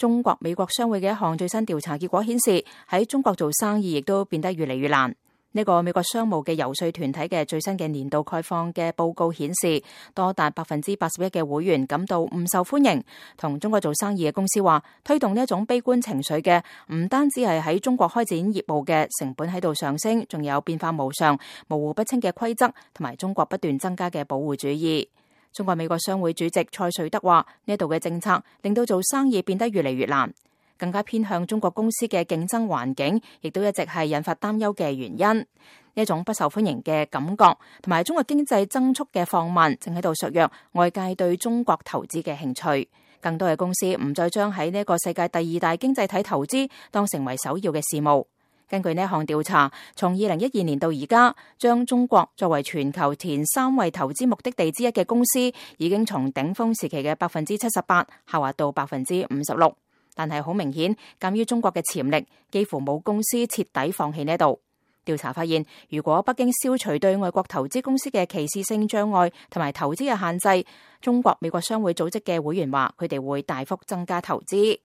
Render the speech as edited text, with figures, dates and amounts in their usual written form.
中國美國商會嘅一項最新調查結果顯示，喺中國做生意亦都變得越嚟越難。呢個美國商務嘅遊說團體嘅最新嘅年度概況嘅報告顯示，多達81%嘅會員感到唔受歡迎。同中國做生意嘅公司話，推動呢一種悲觀情緒嘅唔單止係喺中國開展業務嘅成本喺度上升，仲有變化無常、模糊不清嘅規則，同埋中國不斷增加嘅保護主義。中國美國商會主席蔡瑞德話，呢度嘅政策令到做生意變得越嚟越難。更加偏向中國公司嘅競爭環境，亦都一直係引發擔憂嘅原因。呢一種不受歡迎嘅感覺，同埋中國經濟增速嘅放慢，正喺度削弱外界對中國投資嘅興趣。更多嘅公司唔再將喺呢個世界第2大經濟體投資當成為首要嘅事務。根據呢項調查，從2012年到而家，將中國作為全球前3位投資目的地之一嘅公司，已經從頂峰時期嘅78%下滑到56%。但係好明顯，鑒於中國嘅潛力，幾乎冇公司徹底放棄呢度。調查發現，如果北京消除對外國投資公司嘅歧視性障礙同埋投資嘅限制，中國美國商會組織嘅會員話，佢哋會大幅增加投資。